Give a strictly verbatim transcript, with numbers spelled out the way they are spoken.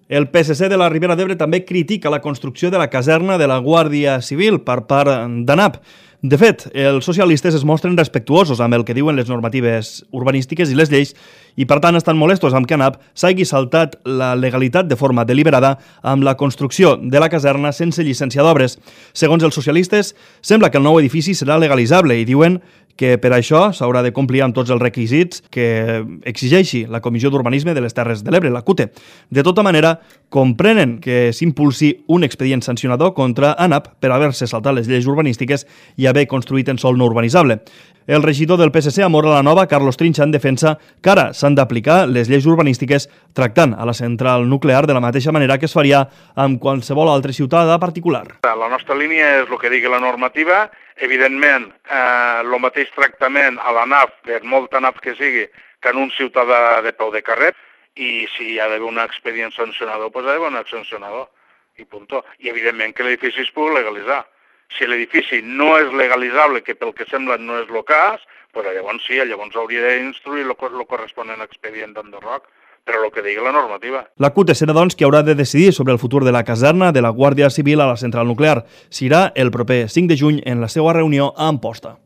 El P S C de la Ribera d'Ebre també critica la construcció de la caserna de la Guàrdia Civil per part d'ANAP. De fet, els socialistes es mostren respectuosos amb el que diuen les normatives urbanístiques i les lleis i, per tant, estan molestos amb que ANAP s'hagi saltat la legalitat de forma deliberada amb la construcció de la caserna sense llicència d'obres. Segons els socialistes, sembla que el nou edifici serà legalitzable i diuen que per això s'haurà de complir amb tots els requisits que exigeixi la Comissió d'Urbanisme de les Terres de l'Ebre, la C U T E. De tota manera, comprenen que s'impulsi un expedient sancionador contra ANAP per haver-se saltat les lleis urbanístiques i haver construït en sòl no urbanitzable. El regidor del P S C a Móra la Nova, Carlos Trinxa, en defensa que ara s'han d'aplicar les lleis urbanístiques tractant a la central nuclear de la mateixa manera que es faria amb qualsevol altre ciutadà particular. La nostra línia és el que digui la normativa. Evidentment, eh, el mateix tractament a l'ANAP, per molta ANAP que sigui, que en un ciutadà de peu de carrer, i si hi ha d'haver un expedient sancionador, doncs hi ha d'haver un sancionador, i punt. I evidentment que l'edifici es pugui legalitzar. Si l'edifici no és legalitzable, que pel que sembla no és el cas, doncs llavors sí, llavors hauria d'instruir el corresponent expedient d'enderroc, però el que digui la normativa. La C U T E serà, doncs, qui haurà de decidir sobre el futur de la caserna de la Guàrdia Civil a la central nuclear. Serà el proper cinc de juny en la seva reunió a Amposta.